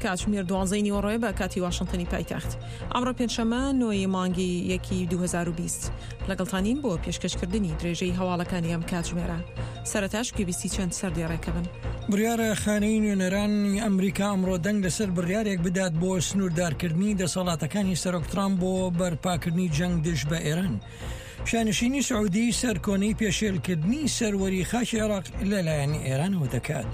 کاتژمێر دوانزەی نیوەڕۆیە بە کاتی واشنتنی پایتەخت. ئەمڕۆ پێنجشەممە نۆی مانگی یەکی 2020. لەگەڵتانین بۆ پێشکەشکردنی درێژەی هەواڵەکانی ئەم کاتژمێرە. سەرەتاش گوێبیستی چەند سەردێڕێکە بن. بڕیارە خانەی نوێنەرانی ئەمریکا ئەمڕۆ دەنگ لەسەر بڕیارێک بدات بۆ سنووردارکردنی دەسەڵاتەکانی سەرۆک ترامپ بۆ بەرپاکردنی جەنگ دژ بە ئێران. شانشینی سعودی سەرکۆنەی پێشێلکردنی سەروەری خاکی عێراق لەلایەن ئێرانەوە دەکات.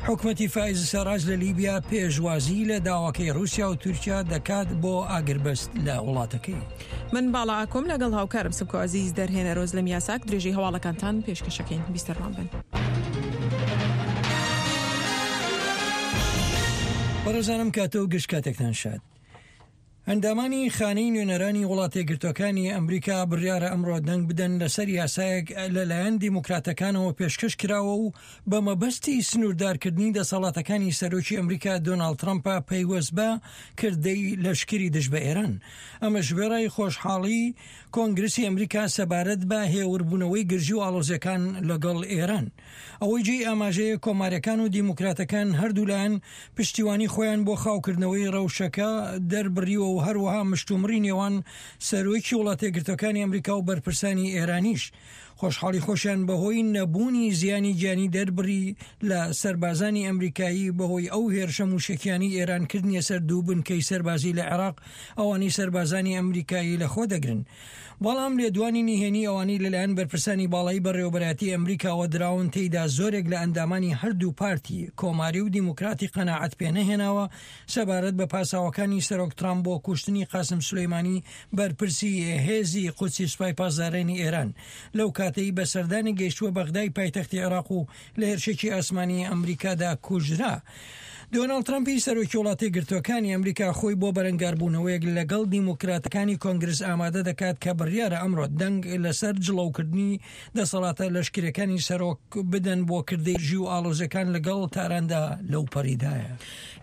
حکومەتی فایز سەراج لە لیبیا پێشوازی لە داواکەی رووسیا و تورکیا دەکات بۆ ئاگربەست لە وڵاتەکەی. من باڵا ئاکۆم لەگەڵ هاوکارم سمکۆ عەزیز دەرهێنەر ئۆزلەم یاساک درێژەی هەواڵەکانتان پێشکەشەکەین بیستەرمان بن. بەڕێزانم کاتە و گشت کاتێکتان شاد. ئەندامانی خانەی نوێنەرانی وڵاتەیەکگرتووەکانی ئەمریکا بڕیارە ئەمڕۆ دەنگ بدەن لەسەر یاسایەک لەلایەن دیموکراتەکانەوە پێشکەش کراوە و بە مەبەستی سنووردارکردنی دەسەڵاتەکانی سەرۆکی ئەمریکا دۆناڵد ترەمپە پەیوەست بە کردەی لەشکری دژ بە ئێران. ئەمەش وێڕای خۆشحاڵی کۆنگرسی ئەمریکا سەبارەت بە هێوربوونەوەی گرژی و ئاڵۆزیەکان لەگەڵ ئێران. ئەوەی جێی ئاماژەیە کۆماریەکان و دیموکراتەکان هەردوولایان پشتیوانی خۆیان بۆ خاوکردنەوەی ڕەوشەکە دەربڕیوە و هەروەها مشتومڕی نێوان سەرۆکی وڵاتەیەکگرتوەکانی ئەمریکا و بەرپرسانی ئێرانیش خۆشحاڵی خۆشیان بەهۆی نەبوونی زیانی گیانی دەربڕی لە سەربازانی ئەمریکایی بەهۆی ئەو هێرشە موشەکیانەی ئێران کردنیە سەر دوو بنکەی سەربازی لە عێراق ئەوانەی سەربازانی ئەمریکایی لەخۆ دەگرن. بەڵام لێدوانی نهێنی ئەوانەی لەلایەن بەرپرسانی باڵای بەڕێوەبەرایەتی ئەمریکاوە دراون تێیدا زۆرێک لە ئەندامانی هەردوو پارتی کۆماری و دیموکراتی قەناعەت پێنەهێناوە سەبارەت بە پاساوەکانی سەرۆک ترامپ بۆ کوشتنی قاسم سولەیمانی بەرپرسی هێزی قودسی سوپای پاسدارانی ئێران لەو کاتەی بە سەردانی گەیشتووە بەغدای پایتەختی عێراق و لە هێرشێکی ئاسمانی ئەمریکادا کوژرا. دۆناڵد ترەمپی سەرۆکی وڵاتە یەکگرتووەکانی ئەمریکا خۆی بۆ بەرەنگاربوونەوەیەک لەگەڵ دیموکراتەکانی کۆنگرس ئامادە دەکات کە بڕیارە ئەمڕۆ دەنگ لەسەر جڵەوکردنی دەسەڵاتە لەشکرییەکانی سەرۆک بدەن بۆ کردەی گرژی و ئاڵۆزییەکان لەگەڵ تاراندا لەوپەڕیدایە.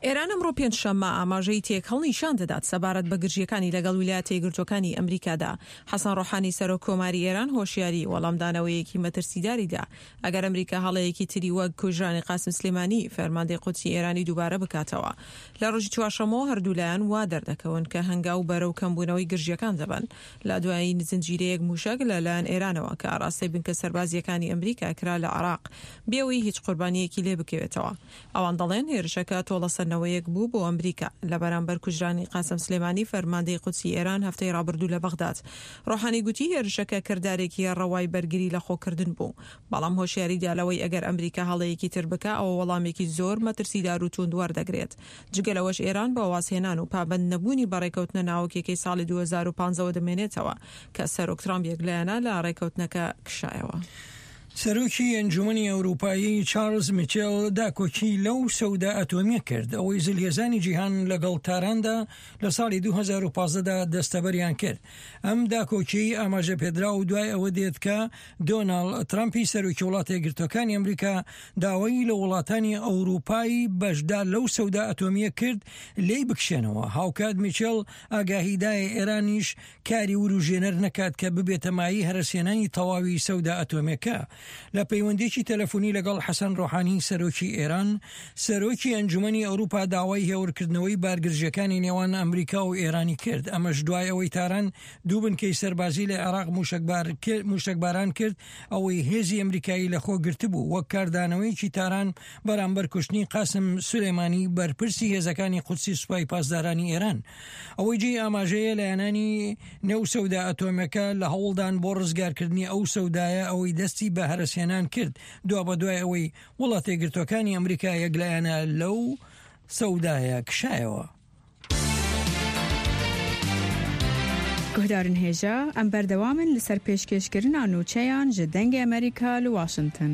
ئێران ئەمڕۆ پێنجشەممە ئاماژەی تێکهەڵ نیشان دەدات سەبارەت بە گرژییەکانی لەگەڵ ویلایەتە یەکگرتووەکانی ئەمریکادا. حەسەن ڕۆحانی سەرۆک کۆماری ئێران هۆشیاری وەڵامدانەوەیەکی مەترسیداری دا ئەگەر ئەمریکا هەڵەیەکی تری وەک کوژرانی قاسم سلێمانی، فەرماندەی قودسی ئێرانی دووبارە بکاتەوە. لە ڕۆژی چوارشەممەوە هەردوولایان وا دەردەکەون کە هەنگاو بەرەو کەمبوونەوەی گرژییەکان دەبەن. لە دوایین زنجیرەیەک مووشەک لە لایەن ئێرانەوە کە ئاراستەی بنکە سەربازییەکانی ئەمریکا کرا لە عێراق، بێ ئەوەی هیچ قوربانییەکی لێ بکەوێتەوە. ئەوان دەڵێن هێرشەکە تۆڵەسەندنەوەیەک بوو بۆ ئەمریکا لە بەرامبەر کوژرانی قاسم سلێمانی فەرماندەی قودسی ئێران هەفتەی ڕابردوو لە بەغداد. ڕۆحانی گوتی هێرشەکە کردارێکی ڕەوای بەرگری لە خۆکردن بوو، بەڵام هۆشیاری دا لەوەی ئەگەر ئەمریکا هەڵەیەکی تر بکا ئەوە وەڵامێکی زۆر مەترسیدار و توند وەردەگرێت. جگە لەوەش ئێران بە وازهێنان و پابەند نەبوونی بە ڕێکەوتنە ناوکیەکەی ساڵی 2015 وە دەمێنێتەوە کە سەرۆک ترامپ یەکلایەنە لە ڕێکەوتنەکە کشایەوە. سەرۆکی ئەنجومەنی ئەوروپایی چارلز میچێل داکۆکی لەو سەودا ئەتۆمیە کرد ئەوەی زلهێزانی جیهان لەگەڵ تاراندا لە ساڵی 2015 دا دەستەبەریان کرد. ئەم داکۆکیەی ئاماژە پێدراو دوای ئەوە دێت کە دۆناڵد ترەمپی سەرۆکی وڵاتە یەکگرتووەکانی ئەمریکا داوای لە وڵاتانی ئەوروپای بەشدار لەو سەودا ئەتۆمیە کرد لێی بکشێنەوە. هاوکات میچێل ئاگاهی دایە ئێرانیش کاری وروژێنەر نەکات کە ببێتە مایەی هەرەسهێنانی تەواوی سەودا ئەتۆمیەکە. لە پەیوەندیەکی تەلەفونی لەگەڵ حەسەن ڕۆحانی سەرۆکی ئێران، سەرۆکی ئەنجومەنی ئەوروپا داوای هێورکردنەوەی بارگرژیەکانی نێوان ئەمریکا و ئێرانی کرد، ئەمەش دوای ئەوەی تاران دوو بنکەی سەربازی لە عێراق موشەکباران کرد ئەوەی هێزی ئەمریکایی لەخۆ گرتبوو وەک کاردانەوەیەکی تاران بەرامبەر کوشتنی قاسم سولەیمانی بەرپرسی هێزەکانی قودسی سوپای پاسدارانی ئێران. ئەوەی جێی ئاماژەیە لایەنانی نێو سەودا ئەتۆمیەکە لە هەوڵدان بۆ ڕزگارکردنی ئەو سەودایە ئەوەی دەستی بە هەرەسهێنان کرد دوابەدوای ئەوەی وڵاتەیەکگرتوەکانی ئەمریکا یەکلایەنە لەو سەودایە کشایەوە. Guhdarên hêja, em berdewam in li ser pêşkêşkirina nûçeyan ji Dengê Amerîka li Washington.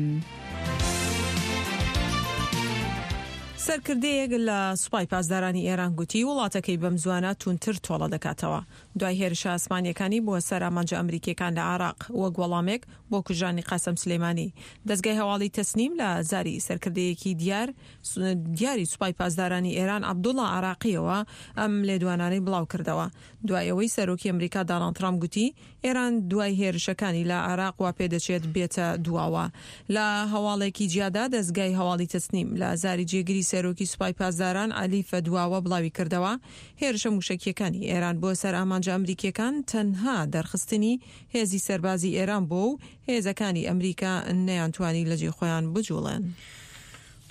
سەرکردەیەک لە سوپای پاسدارانی ئێران گوتی، وڵاتەکەی بەمزوانە تووندتر تۆڵە دەکاتەوە دوای هێرشە ئاسمانییەکانی بۆ سەر ئامانجە ئەمریکییەکان لە عێراق وەک وەڵامێک بۆ کوژرانی قاسم سولەیمانی. دەزگای هەواڵی تەسنیم لە زاری سەرکردەیەکی دیار دیاری سوپای پاسدارانی ئێران عەبدوڵا عێراقییەوە ئەم لێدوانانەی بڵاوکردەوە دوای ئەوەی سەرۆکی ئەمریکا داناڵد ترامپ گوتی ئێران دوای هێرشەکانی لە عێراق وا پێدەچێت بێتە دواوە. لە هەواڵێکی جیادا دەزگای هەواڵی تەسنیم لە زاری جێگری سەرۆکی. سەرۆکی سوپای پاسداران عەلی فەدواوە بڵاویکردەوە، هێرشە مووشەکییەکانی ئێران بۆ سەر ئامانجە ئەمریکییەکان تەنها دەرخستنی هێزی سەربازی ئێران بووە و هێزەکانی ئەمریکا نەیانتوانی لە جێی خۆیان بجوڵێن.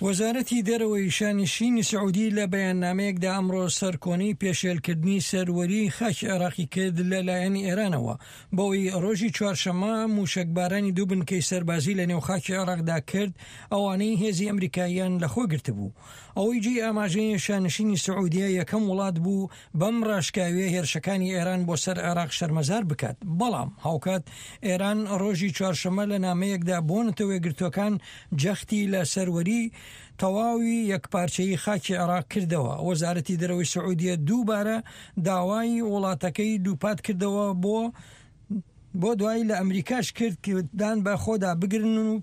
وەزارەتی دەرەوەی شانشینی سعودی لە بەیاننامەیەکدا ئەمڕۆ سەرکۆنەی پێشێلکردنی سەروەریی خاکی عێراقی کرد لەلایەن ئێرانەوە بەوەی ڕۆژی چوارشەممە مووشەکبارانی دوو بنکەی سەربازی لەنێو خاکی عێراقدا کرد ئەوانەی هێزی ئەمریکاییان لەخۆ گرتبوو. ئەوەی جێی ئاماژەیە شانشینی سعودیە یەکەم وڵات بوو بەم ڕاشکاویە هێرشەکانی ئێران بۆ سەر عێراق شەرمەزار بکات، بەڵام هاوکات ئێران ڕۆژی چوارشەممە لە نامەیەکدا بۆ نەتەوەیەکگرتووەکان جەختی لە سەروەری تەواوی یەکپارچەیی خاکی عێراق کردەوە. وەزارەتی دەرەوەی سعودیە دووبارە داوای وڵاتەکەی دووپات کردەوە بۆ بۆ دوایی لە ئەمریکاش کرد کە دان بە خۆدا بگرن و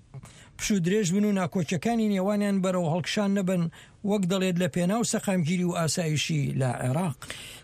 پشوودرێژ بن و ناکۆکیەکانی نێوانیان بەرەو هەڵکشان نەبەن، وەک دەڵێت لە پێناو سەقامگیری و ئاسایشی لە عێراق.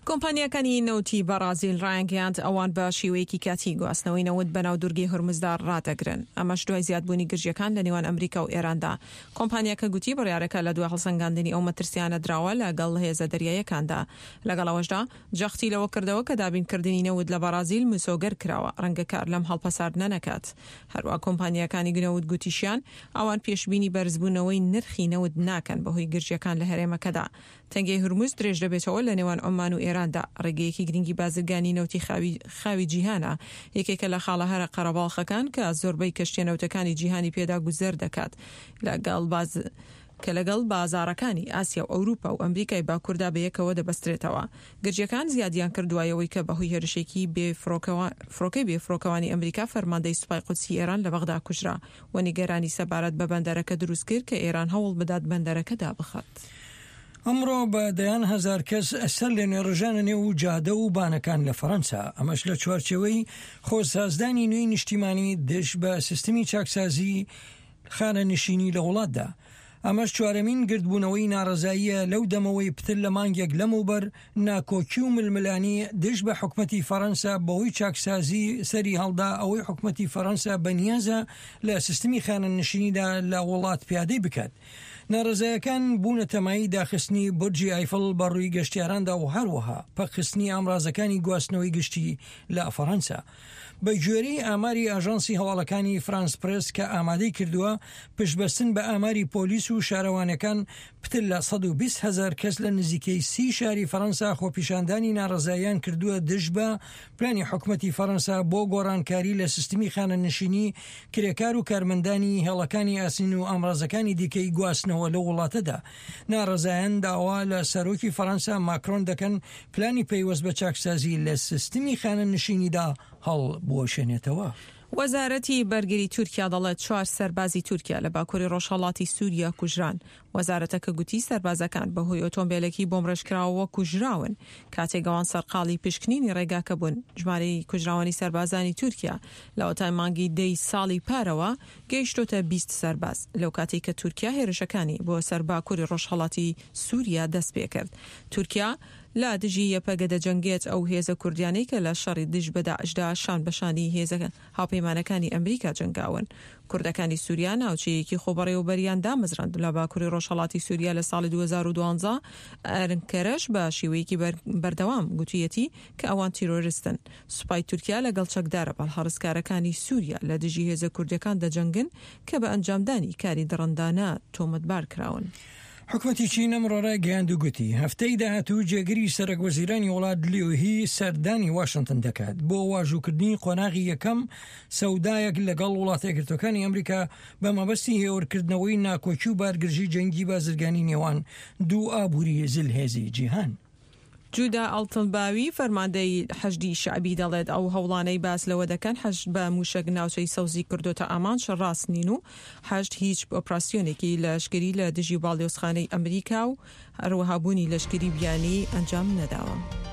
کۆمپانیاکانی نەوتی بەڕازیل ڕایانگەیاند، ئەوان بە شێوەیەکی کاتی گواستنەوەی نەوت بەناو دوورگەی هورمزدا ڕادەگرن، ئەمەش دوای زیادبوونی گرژییەکان لە نێوان ئەمریکا و ئێراندا. کۆمپانیاکە گوتی بڕیارەکە لە دوای هەڵسەنگاندنی ئەو مەترسیانە دراوە لەگەڵ هێزە دەریاییەکاندا. لەگەڵ ئەوەشدا، جەختی لەوە کردەوە کە دابینکردنی نەوت لە بەڕازیل مسۆگەر کراوە، ڕەنگە کار لەم هەڵپەساردنە نەکات. هەروا کۆمپانیاکانی نەوت گوتیشیان، ئەوان پێشبینی بەرزبوونەوەی نرخی نەوت ناکەن بەهۆی گرژییەکان لە هەرێمەکەدا. تەنگەی هورمز درێژدەبێتەوە لە نێوان عوممان و ئێراندا، ڕێگەیەکی گرنگی بازرگانی نەوتی خاوی خاوی جیهانە، یەکێکە لە خاڵە هەرە قەرەباڵخەکان کە زۆربەی کەشتیە نەوتەکانی جیهانی پێدا گوزەر دەکات لەگەڵ باز کە لەگەڵ بازاڕەکانی ئاسیا و ئەوروپا و ئەمریکای باکووردا بەیەکەوە دەبەسترێتەوە. گرژییەکان زیادیان کرد دوای ئەوەی کە بەهۆی هێرشێکی بێ فڕۆکەی بێ فڕۆکەوانی ئەمریکا فەرماندەی سوپای قودسی ئێران لە بەغدا کوژرا و نیگەرانی سەبارەت بە بەندەرەکە دروست کرد کە ئێران هەوڵ بدات بەندەرەکە دابخات. ئەمڕۆ بە دەیان هەزار کەس سەر لەنوێ ڕژانە نێو جادە و بانەکان لە فەرەنسا، ئەمەش لە چوارچێوەی خۆسازدانی نوێی نیشتیمانی دژ بە سیستمی چاکسازی خانەنشینی لە وڵاتدا. ئەمەش چوارەمین گردبوونەوەی ناڕەزاییە لەو دەمەوەی پتر لە مانگێک لەمەوبەر ناکۆکی و ململانی دژ بە حکومەتی فەرەنسا بەهۆی چاکسازی سەری هەڵدا ئەوەی حکومەتی فەرەنسا بەنیازە لە سیستمی خانەنشینیدا لە وڵات پیادەی بکات. ناڕەزایەکان بوونەتە مایەی داخستنی بورجی ئایفڵ بە ڕووی گەشتیاراندا و هەروەها پەکخستنی ئامرازەکانی گواستنەوەی گشتی لە فەرەنسا. بەگوێرەی ئاماری ئاژانسی هەواڵەکانی فرانس پرێس کە ئامادەی کردووە، پشتبەستن بە ئاماری پۆلیس و شارەوانیەکان، پتر لە 120 هەزار کەس لە نزیکەی سی شاری فەرەنسا خۆپیشاندانی ناڕەزاییان کردووە دژ بە پلانی حکومەتی فەرەنسا بۆ گۆڕانکاری لە سیستمی خانەنشینی کرێکار و کارمەندانی هێڵەکانی ئاسنین و ئامرازەکانی دیکەی گواستنەوە لەو وڵاتەدا. ناڕەزایان داوا لە سەرۆکی فەرەنسا ماکرۆن دەکەن پلانی پەیوەست بە چاکسازی لە سیستمی خانەنشینیدا هەڵبوەشێنێتەوە. وەزارەتی بەرگری تورکیا دەڵێت چوار سەربازی تورکیا لە باکوری ڕۆژهەڵاتی سوریا کوژران. وەزارەتەکە گوتی سەربازەکان بەهۆی ئۆتۆمبێلێکی بۆمڕێژکراوەوە کوژراون کاتێک ئەوان سەرقاڵی پشکنینی ڕێگاکە بوون. ژمارەی کوژراوانی سەربازانی تورکیا لەوەتای مانگی دەی ساڵی پارەوە گەیشتۆتە 20 سەرباز لەو کاتەی کە تورکیا هێرشەکانی بۆ سەر باکوری ڕۆژهەڵاتی سوریا دەستپێکرد. تورکیا لە دژی یەپەگە دەجەنگێت، ئەو هێزە کوردیانەی کە لە شەڕی دژ بە داعشدا شان بە شانی هێزە هاوپەیمانەکانی ئەمریکا جەنگاون. کوردەکانی سوریا ناوچەیەکی خۆبەڕێوەبەریان دامەزراند لە باکوری ڕۆژهەڵاتی سوریا لە ساڵی 2012، ئەنکەرەش بە شێوەیەکی بەردەوام گوتویەتی کە ئەوان تیرۆرستن. سوپای تورکیا لەگەڵ چەکدارە بەڵهەڕزکارەکانی سوریا لە دژی هێزە کوردەکان دەجەنگن کە بە ئەنجامدانی کاری دڕندانە تۆمەتبار کراون. حکومەتی چین ئەمڕۆ رایگەیاند و گوتی، هەفتەی داهاتوو جێگری سەرەکوەزیرانی وڵات لیو هی سەردانی واشنتن دەکات بۆ واژووکردنی قۆناغی یەکەم سەودایەک لەگەڵ وڵاتە یەکگرتووەکانی ئەمریکا بە مەبەستی هێورکردنەوەی ناکۆکی و بارگرژی جەنگی بازرگانی نێوان دوو ئابووری زلهێزی جیهان. جودا ئەڵتنباوی، فەرماندەی حەشدی شەعبی دەڵێت، ئەو هەوڵانەی باس لەوە دەکەن حەشد بە مووشەک ناوچەی سەوزی کردۆتە ئامانج ڕاست نین و حەشد هیچ ئۆپراسیۆنێکی لەشکری لە دژی باڵیۆزخانەی ئەمریکا و هەروەها بوونی لەشکری بیانی ئەنجام نەداوە.